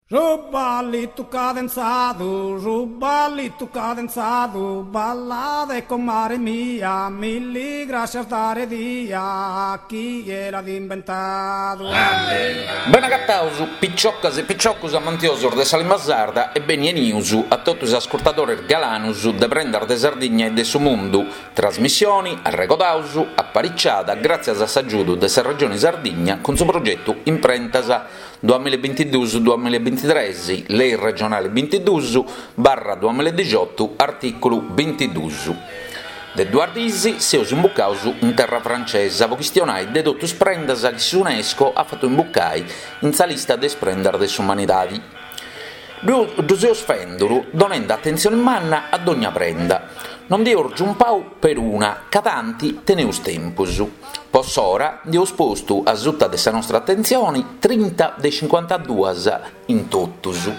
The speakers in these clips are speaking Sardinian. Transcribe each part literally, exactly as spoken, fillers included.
Su ballitu cadenzadu, su ballitu cadenzadu, ballade comare mia, milli grascias dare dia, chie l'at imbentadu. Bene agataus, piciocas e piciocos amantiosos de sa limba sarda e beni 'enius a totu is ascurtadores galanus de Prendas de Sardigna e de su Mundu, trasmissione, arregodaus, apariciada gràtzias a s'agiudu de sa Regione Sardigna cun su progetu Imprentas duamilla e bintiduus duamilla e bintitres, Lei regionale bintiduus barra duamilla e dixiotu, artìculu bintiduus. De duas diis seus imbucaus in terra francesa po chistionai de totu is prendas chi s'UNESCO at fatu imbucai in sa lista de is prendas de s'umanidadi. Ddu seus fenduru donende atentzione manna a dogna prenda. Non nd'eus giumpau peruna, ca tanti teneus tempus. Po s'ora nd'eus postu a suta de sa nostra atentzione trinta de cincuantaduas in totus.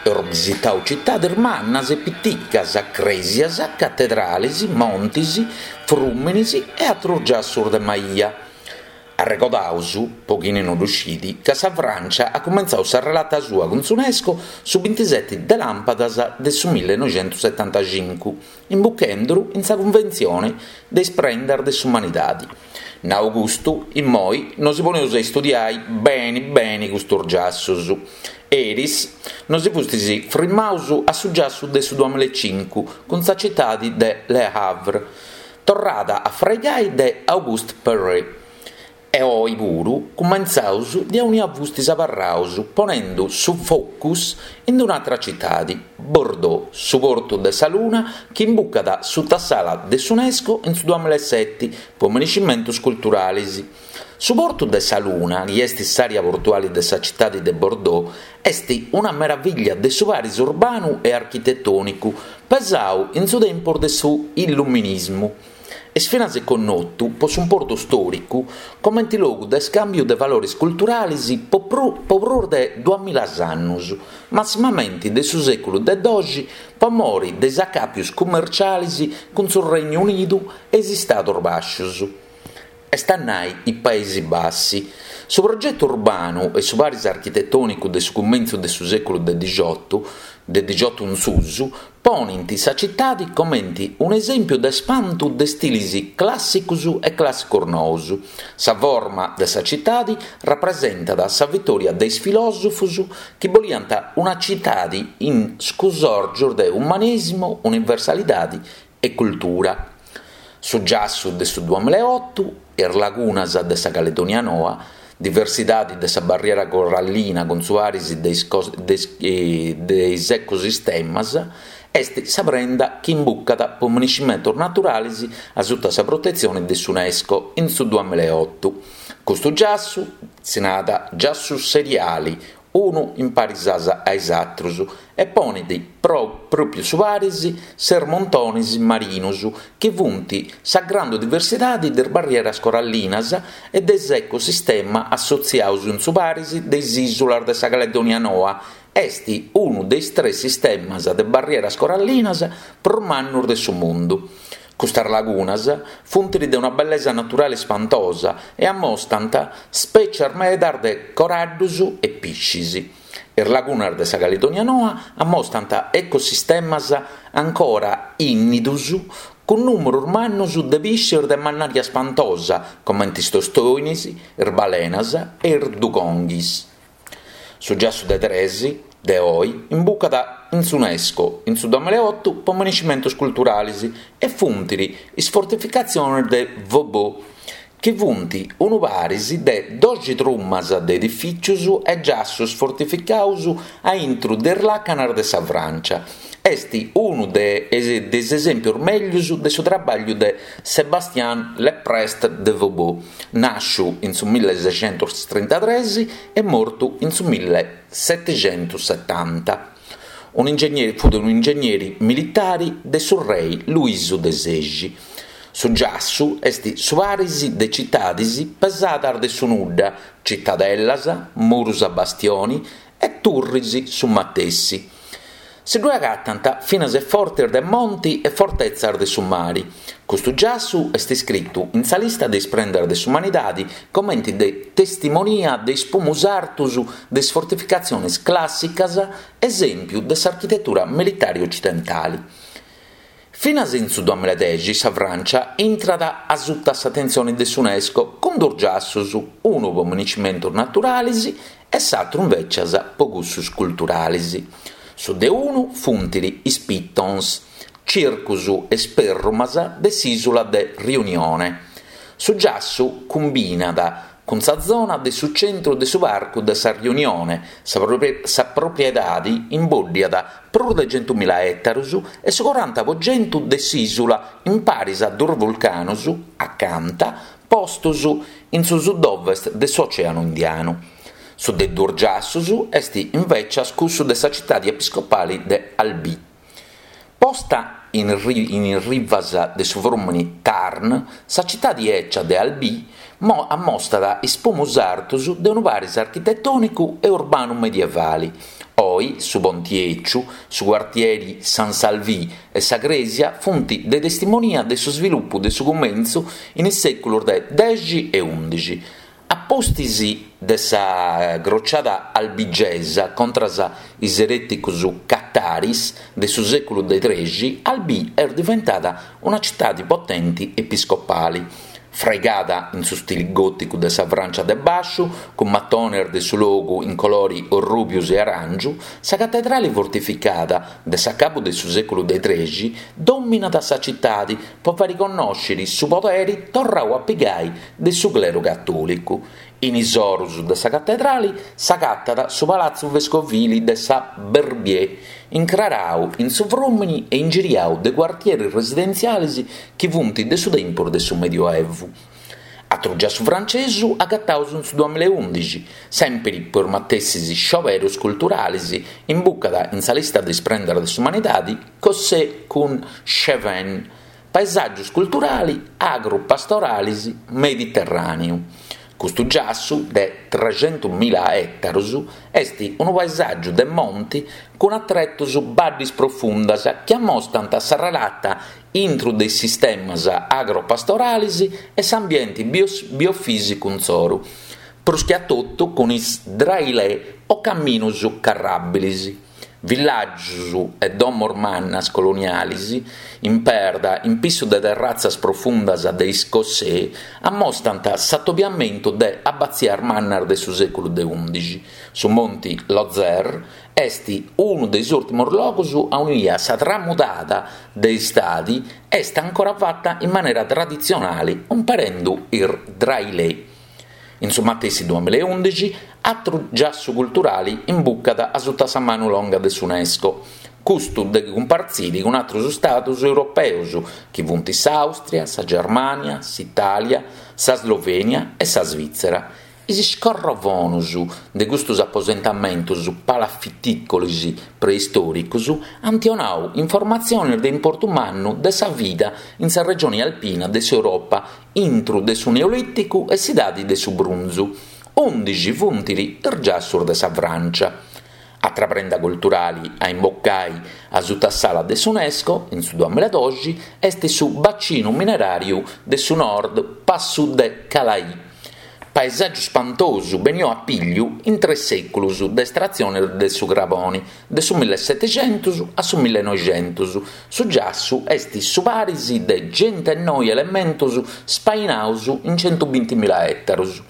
Eus bisitau citades mannas e piticas, crèsias, catedrales, montes, frùmenes e àteros giassos de maia. Arregodaus, po chini no ddu scit, ca sa Frància at cumentzau sa relata sua cun s'UNESCO su bintiseti de làmpadas de su millenoixentusetantacincu, imbuchenduru in sa Cunventzione de is prendas de s'umanidade. Nau custu, immoi nosi poneus a istudiai beni beni custos giassos. Eris nosi fustis frimmaus a su giassu de su duamilla e cincu cun sa citadi de Le Havre, torrada a fraigai de Auguste Perret. E oi puru cumentzaus de aunia fustis abarraus ponendu su focus in un'atra citadi, Bordeaux, su portu de sa luna chi imbucat suta s'ala de s'UNESCO in su duamilla e seti po menescimentos culturales. Su portu de sa luna, chi est s'àrea portuale de sa citadi de Bordeaux, est una meravìllia de su paris urbanu e architetònicu pesau in su tempus de su Illuminismu. Est finas connotu po s'importu stòricu comente logu de scàmbiu de valores culturales po po prus de duamilla annos, massimamente de su sèculu de doxi po more de is acàpios cummerciales cun su Regnu Unidu e is Istados Bàscios, est a nai i Paesi Bassi. Su progetu urbanu e su paris architetònicu de su cumentzu de su sèculu de dixiotu, de dixiotu in susu, ponint sa citadi comente un'esèmpiu de spantu de stilis clàssicos e clàssicos noos. Sa forma de sa citadi rapresentat sa vitòria de is filòsofos chi boliant una citadi in scusòrgios de umanesimo, universalidade e cultura. Su giassu de su duamilla e oto, is lagunas de sa Caledonia Noa, diversidade de sa barriera corallina cun su paris de is de is ecosistemas, est sa prenda chi imbucat po menescimentos naturales a suta sa protetzione de s'UNESCO in su duamilla e oto. Custu giassu si narat giassu seriali, unu in paris a is àteros, e ponet pro pròpiu su paris ses montones marinos chi funt sa grandu diversidade de is barrieras corallinas e de s'ecosistema assotziados in su paris de is ìsulas de sa Caledonia Noa. Est unu de is tres sistemas de barrieras corallinas prus mannos de su mundu. Custas lagunas funt de una bellesa naturale ispantosa e ammostant spècies medas de coraddos e piscis. Is lagunas de sa Caledonia Noa ammostant ecosistemas ancora ìnnidos cun nùmeros mannos de piscis de mannària ispantosa, comente is tostoines, is balenas e is dugonghis. Su giassu de tres, de oi, imbucat in s'UNESCO in su duamilla e oto po menescimentos culturales e funt is fortificatziones de Vauban, chi funt unu paris de doxi trumas de edifìtzios e giassos fortificados a intro de is làcanas de sa Frància. Est unu de is esèmpios mègius de su traballu de Sébastien Le Preste de Vauban, nàsciu in su milleseicentostrentatres e mortu in su millesetixentosetanta. Un'ingegneri, fut un'ingegneri militare de su rei Luisu de Sexi. Su giassu est su paris de citades pesadas de su nudda, citadellas, muros a bastione e turres su matessi. Si ddue agatant finas fortes de monti e fortetzas de su mari. Custu giassu est iscritu in sa lista de is prendas de s'umanidade comente de testimonia de is primus artos de is fortificatziones clàssicas, esèmpiu de s'architetura militare otzidentale. Finas in su duamilla e dexi sa Frància intrat a suta s'atentzione de s'UNESCO cun duos giassos, unu pro municimentos naturales e s'àteru invècias pro cussos culturales. Su de unu funt is Pitons, circos e sperrumas de s'ìsula de Riunione. Su giassu cumbinat cun sa zona de su centru de su parcu de sa Riunione, sa, sa propriedade imbòddiat prus de centumila ètaros e su coranta pro chentu de s'ìsula in paris a duos vulcanos acanta postos in su sud-ovest de s'Oceanu Indianu. Su de duos giassos est invècias cussu de sa citade episcopale de Albi. Posta in, ri, in rivas de su frùmene Tarn, sa citade ecia de Albi mo, ammostat is primus artos de unu paris architetònicu e urbanu medievale. Oi su Ponti Eciu, su quartieri San Salvi e sa crèsia funt de testimonia de su svilupu de su cumentzu in is sèculos de dexi e undixi. A pustis de sa crociada albigesa contra is erèticos cataris de su sèculu de trexi, Albi est diventada una citade potente episcopale. Fraigada in su stile gòticu de sa Frància de Bàsciu, cun matones de su logu in colori orrùbios e aràngiu, sa catedrale fortificada de s'acabu de su sèculu de trexi dòminat sa citade pro fàere connòschere su podere torradu a pigai de su clero catòlicu. In is oros de sa catedrale s'agatat su Palazzo Vescovile de sa Verbier, incraradu in su frùmene e ingiriadu de quartieres residentziales chi funt de su tempus de su Medioevu. Atru giassu frantzesu agataus in su duamilla e undixi, sèmpere pro is matessis scioberos culturales, imbucat in sa lista de is prendas de s'umanidade Cossé cun Cévennes, paesàgios culturales agro-pastorales mediterràneu. Custu giassu de trecentomila ètaros est unu paesàgiu de monti cun atretos baddes profundas chi ammostant sa relata intro de is sistemas agropastorales e s'ambiente bios, biofìsicu insoru, prus che a totu cun is drailè o caminos carràbiles. Villàgios e domos mannas coloniales in perda, in pissu de terratzas profundas de is Cossé, ammostant s'atobiamentu de abatzias mannas de su sèculu de undixi. Su Monti Lozère est unu de is ùrtimos logos aunia sa tramudada de istadi est ancora fata in manera traditzionale, umperendo is drailè. In su matessi duamilla e undixi, atru giassu culturale imbucat a suta sa manu longa de s'UNESCO. Custu de cumpartzire cun atros stados europeos, chi funt s'Austria, sa Germania, s'Italia, sa Slovenia e sa Svizzera. Is scorrovonos de custos aposentamentos palafitìcolis preistòricos ant donadu informatziones de importu mannu de sa vida in sa regione alpina de s'Europa intro de su Neolìticu e s'Idade de su Brunzu. Undixi funt is giassos de sa Frància. Atra prenda culturale a imbocai a suta s'ala de s'UNESCO in su duamilla e doxi est su bacinu mineràriu de su nord Passu de Calais. Paesàgiu spantosu beniu a pigliu in tres sèculos de estratzione de su crabone, de su millesettecentos a su millenoixentos. Su giassu est su paris de centenoi elementos spainados in centubintimila ètaros.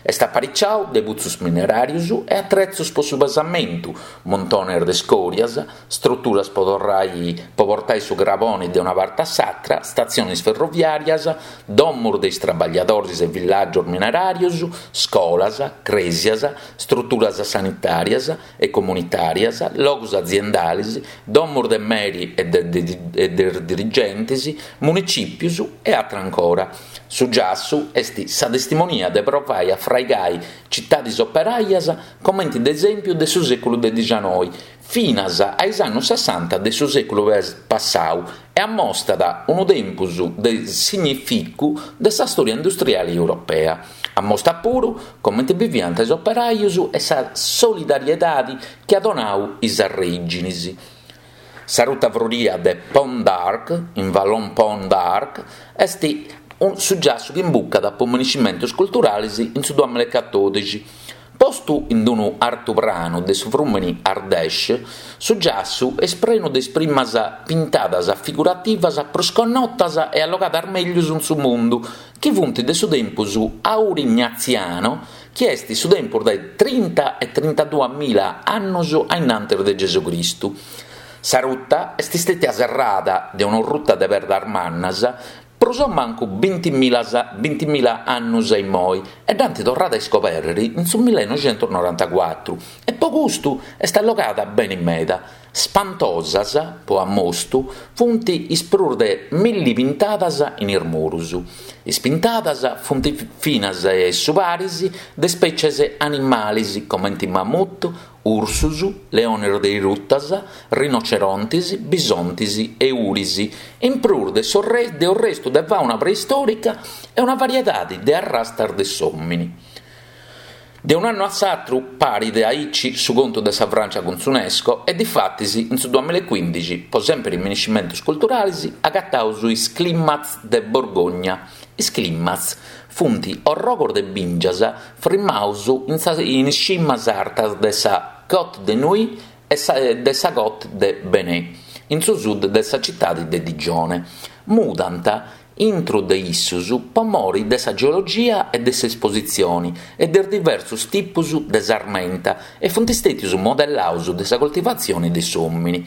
Est apariciadu de putzos mineràrios e atretzos pro su pesamentu, montones de scòrias, strutturas pro torrai, pro portare su crabone de una parte a s'altra, statziones ferroviàrias, domos de is traballadores e villàgios mineràrios, scolas, crèsias, strutturas sanitàrias e comunitàrias, logos aziendales, domos de meri e de, de, de, de dirigentes, municìpios e altra ancora. Su giassu est sa testimonia de provai a fraigai citades operaias comente de esèmpiu de su sèculu de diciannoi, finas a is annos sessanta de su sèculu passadu e ammostat unu tempus de significu de sa storia industriale europea. Ammostat puru comente viviant is operaios e sa solidariedade chi at donadu is arrègines. Sa ruta froria de Pont d'Arc, in Vallon Pont d'Arc, est su giassu chi imbucat po minescimentos culturales in su duamilla e catòdixi. Postu in unu artupranu de su frùmene Ardèche, su giassu est prenu de is primas pintadas figurativas prus connotas e allogadas mègius in su mundu, chi funt de su tempus aurignatziano, chi est su tempus de trinta e trintaduamila annos a innantis de Gesù Cristu. Sa ruta est istètia serrada de una ruta de perdas mannas prus o mancu bintimila bintimila annos a immoi e dd'ant torrada a iscobèrrere in su millenoixentusnorantacuatru e po custu est allogada bene meda. Spantosas, po ammostu, funt is prus de milli pintadas in is muros. Is pintadas funt finas su paris de spècies animales comente mammut, ursus, leones de is rutas, rinocerontes, bisontes e uris, in prus de su de restu de fauna preistòrica e una variedade de arrastas de s'òmine. De un'annu a s'atru parit aici su contu de sa Francia cun s'UNESCO e difatis in su duamilla e quindixi, po sèmpere in minescimentos culturales, agataus is climats de Borgogna. Is climats funt orrogos de bìngias frimados in, sa, in is cimas artas de sa Côte de Nuits e sa, de sa Côte de Bernay, in su sud de sa citade de Digione. Mudant intro de issos po mori de sa geologia e de s'espositzione e de diversos tipos de sarmenta e funt istètios modellados de sa coltivatzione de s'òmine.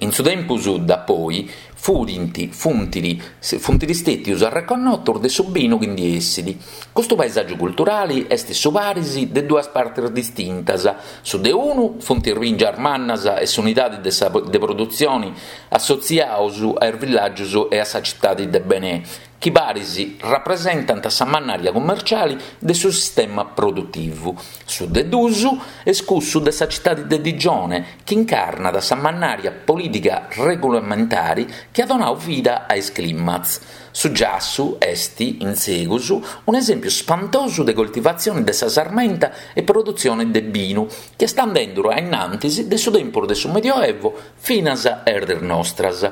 In su tempus da poi furint, funtiri, funt istètios arreconnotos de su binu chi ndi essit. Custu paesàgiu culturale est su paris de duas partes distintas. Su de unu funt is bìngias mannas e s'unidade de, sa, de produtzione assotziados a is villàgios e a sa citade de Bernay, chi paris rapresentant sa mannària commerciale de su sistema produtivu. Su de duus est cussu de sa citade de Digione, chi incarnat sa mannària polìtica regulamentare chi at donadu vida a is climats. Su giassu est, in segus, un'esèmpiu spantosu de coltivatzione de sa sarmenta e produtzione de binu, chi est andende a innantis de su tempus de su Medioevo finas a is dies nostras.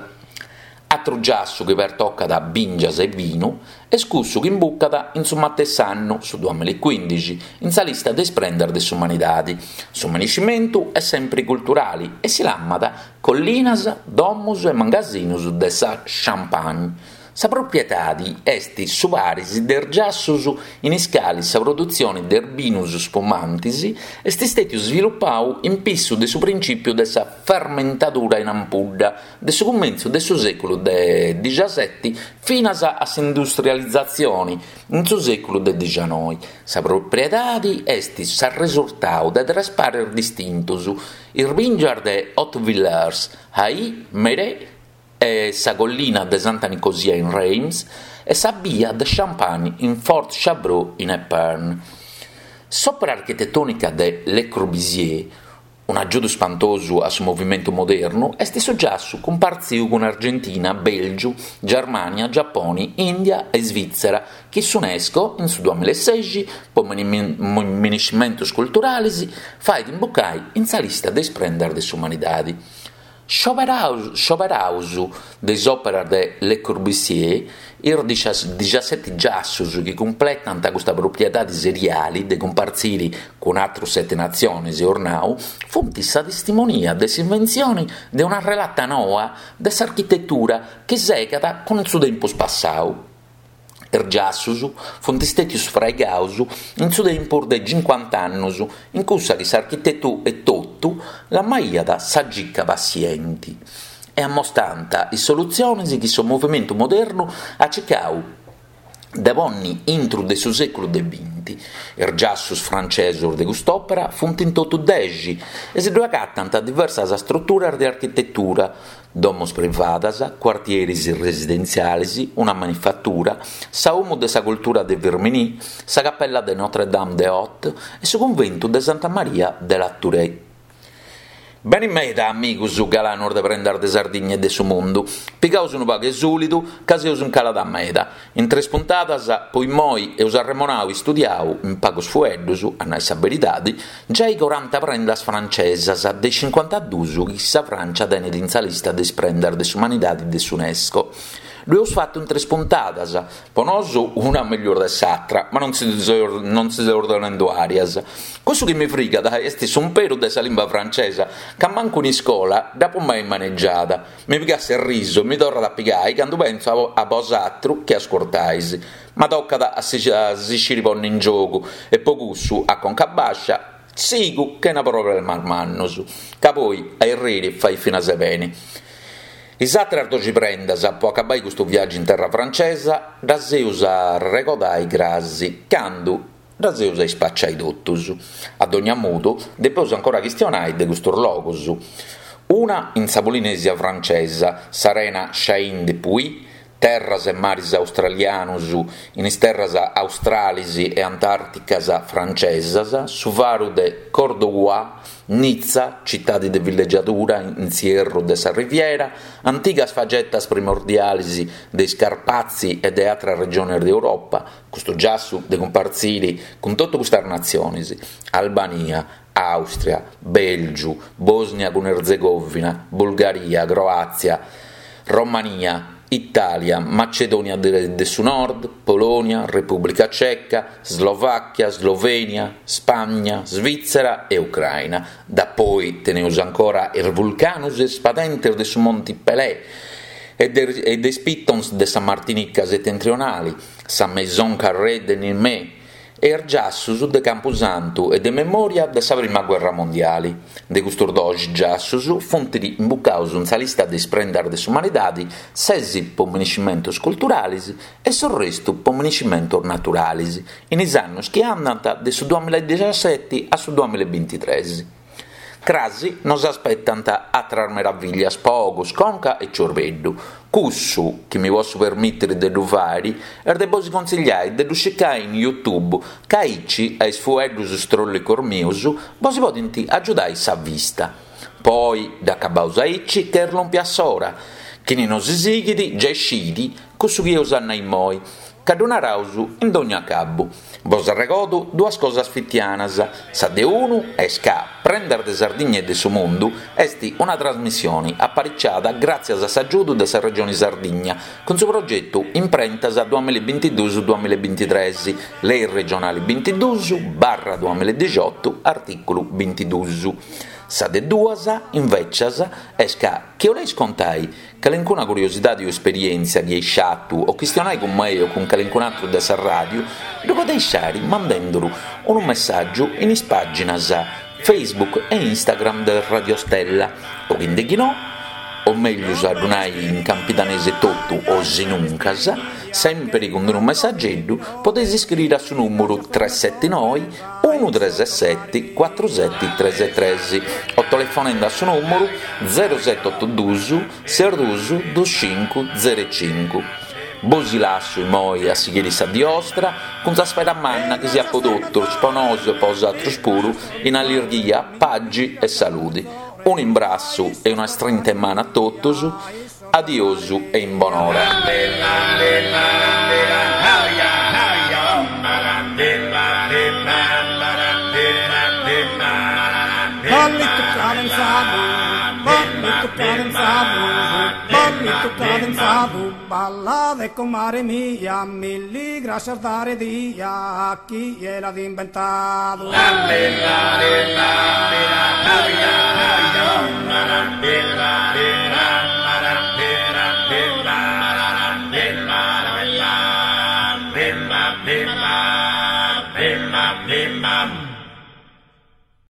Atru giassu chi pertocat bìngias e binu est cussu chi imbucat in su matessi annu, su duamilla e quindixi, in sa lista de is prendas de s'umanidade. Su minescimentu est sempre culturale e si lamat Collinas, Domos e Mangasinos de sa Champagne. Sa propriedade est su paris de is giassos in is cales sa produtzione de binos spumantes est istètiu sviluppadu in pissu de su principiu de sa fermentadura in ampudda de su cumentzu de su sèculu de diciasette finas a s'industrializatzione in su sèculu de dicianoi. Sa propriedade est s'arresurtadu de tres pares distintos: is bìngias de Hautvillers, Ay, Merey e sa collina de Santa Nicosia in Reims e sa bia de Champagne in Fort-Chabreau in Épernay. S'òpera architetònica de Le Corbusier, un agiudu spantosu a su movimentu modernu, est su giassu cumpartzidu cun Argentina, Bèlgiu, Germania, Giappone, India e Svizzera, chi s'UNESCO in su duamilla e sexi, po minescimentos culturales, fait imbucare in sa lista de is prendas de s'umanidade. Scioberaus de is òperas de Le Corbusier, is diciasseti giassos chi cumpletant custa propriedade seriale de cumpartzire cun atros sete natziones ornau, funt sa testimonia de s'inventzione de una relata noa de s'architetura chi segat cun su tempus passadu. Is giassos funt istètios fraigados in su tempus de cinquanta annos, in cussa chi s'architetu etotu lamaiat sa gica paziente, e ammostant is solutziones chi su movimentu modernu at circadu de ponni intro de su sèculu de binti. Is giassos francesos de cust'òpera funt in totu dexi e si ddu agatant diversas strutturas de architetura, domos privadas, quartieris residentziales, una manifattura, sa Domo de sa Cultura de Firminy, sa Cappella de Notre-Dame de Haute e su cunventu de Santa Maria de la Tourette. Beni meda, amigus galanos de Prendas de Sardigna e de su mundu. Pigaus unu pagu 'e sulidu, ca seus in calada meda. In tres puntadas, po immoi, eus arremonau e istudiau, in pagus fueddus, a nai sa beridadi, giai coranta prendas francesas de is cincuantaduus chi sa Francia tenet in sa lista de is prendas de s'umanidadi de s'UNESCO. Ddu eus fatu in tres puntadas, po nosu una mellus de s'atra, ma non si non si seus donendu arias. Cussu chi mi frigat est s'umperu de sa limba francesa, ca mancu in iscola dd'apu mai maneggiada. Mi pigat s'errisu e mi torrat a pigai candu pentzu a bosatru chi ascurtais. Ma tocat a si a si sciri ponni in giogu e po cussu, a conca bascia, sigu chena problemas mannus, ca poi a erriri fait finas beni. Is atras doxi prendas, po acabai custu viaggiu in terra francesa, ddas eus a arregodai crasi, candu ddas eus a ispacciai totus. A dogna modu, depeus ancora chistionai de custus logus. Una in sa Polinesia francesa, s'arena Chain de Puy, terras e maris australianus in is terras australis e antàrticas francesas, su faru de Cordoue, Nizza, citadi de villeggiadura in s'ierru de sa Riviera, antigas fagetas primordialis de is Carpazi e de atras regiones de Europa, custu giassu de cumpartziri cun totu custas natziones, Albania, Àustria, Bèlgiu, Bòsnia cun Erzegovina, Bulgaria, Croàtzia, Romania, Itàlia, Macedònia de su Nord, Polònia, Repùblica Ceca, Slovàchia, Slovènia, Spagna, Svìtzera e Ucraina. Dapoi teneus ancora is vulcanus e is padentes de su Monti Pelé e de, de is pitons de sa Martinica setentrionali, sa Maison Carrée de Niamey e is giassus de Campusantu e de memòria de sa Prima Guerra Mondiali. De custus doxi giassus funt imbucaus in sa lista de is prendas de s'umanidadi ses po miniscimentos culturalis e s'orrestu po miniscimentos naturalis, in is annos chi andant de su duamilla e dexaseti a su duamilla e bintitres. Crasi nos aspetant atras meraviglias po ogus, conca e ciorbeddu. Cussu chi mi posso permìtere de ddu fàere est de bos consigliai de ddu circai in YouTube, ca aici a is fueddus stròllicos mius bos podint agiudai sa vista. Poi dd'acabaus aici ca est lòmpia s'ora. Chini nos sighit giai scit cussu chi eus a nai immoi, ca ddu naraus in dogna acabu. Bos arregodo duas cosas fitianas. Sa de unu est ca Prendas de Sardigna e de su Mundu est una trasmissione apariciada gràtzias a s'agiudu de sa Regione Sardigna cun su progetu Imprentas duamilla e bintiduus duamilla e bintitres, Lei regionale bintiduus barra duamilla e dixiotu, artìculu bintiduus. Sa de duas, invecias, est ca chi 'oleis contai calincuna curiosidadi o esperièntzia chi eis sciatu o chistionai cun mei o cun calincun'atru de sa ràdiu, ddu podeis fàere mandenduru unu messàgiu in is pàginas Facebook e Instagram de Radio Stella, o chi no, o meglius a ddu nai in campidanese totu o sinuncas, sempre cun unu messaggeddu, podeis iscriere a su nùmeru tres sette noe unu tres sette cuatru sette tres tres o telefonende a su nùmeru zero sette oto duus ses duus duus cincu zero cincu. Bos lassu immoi a sighire sa die 'ostra cun sa spera manna chi siat po totus, po nosu e po bosatrus puru, in allirghia, pagi e salude. Un imbrassu e una strinta 'e manu a totus, adiosu e in bonora. Ballito cadenzado, ballito cadenzado, ballito cadenzado, balla de comare mia, milli gracias dare dia a chi gliel'ha inventado. La, la, la, la.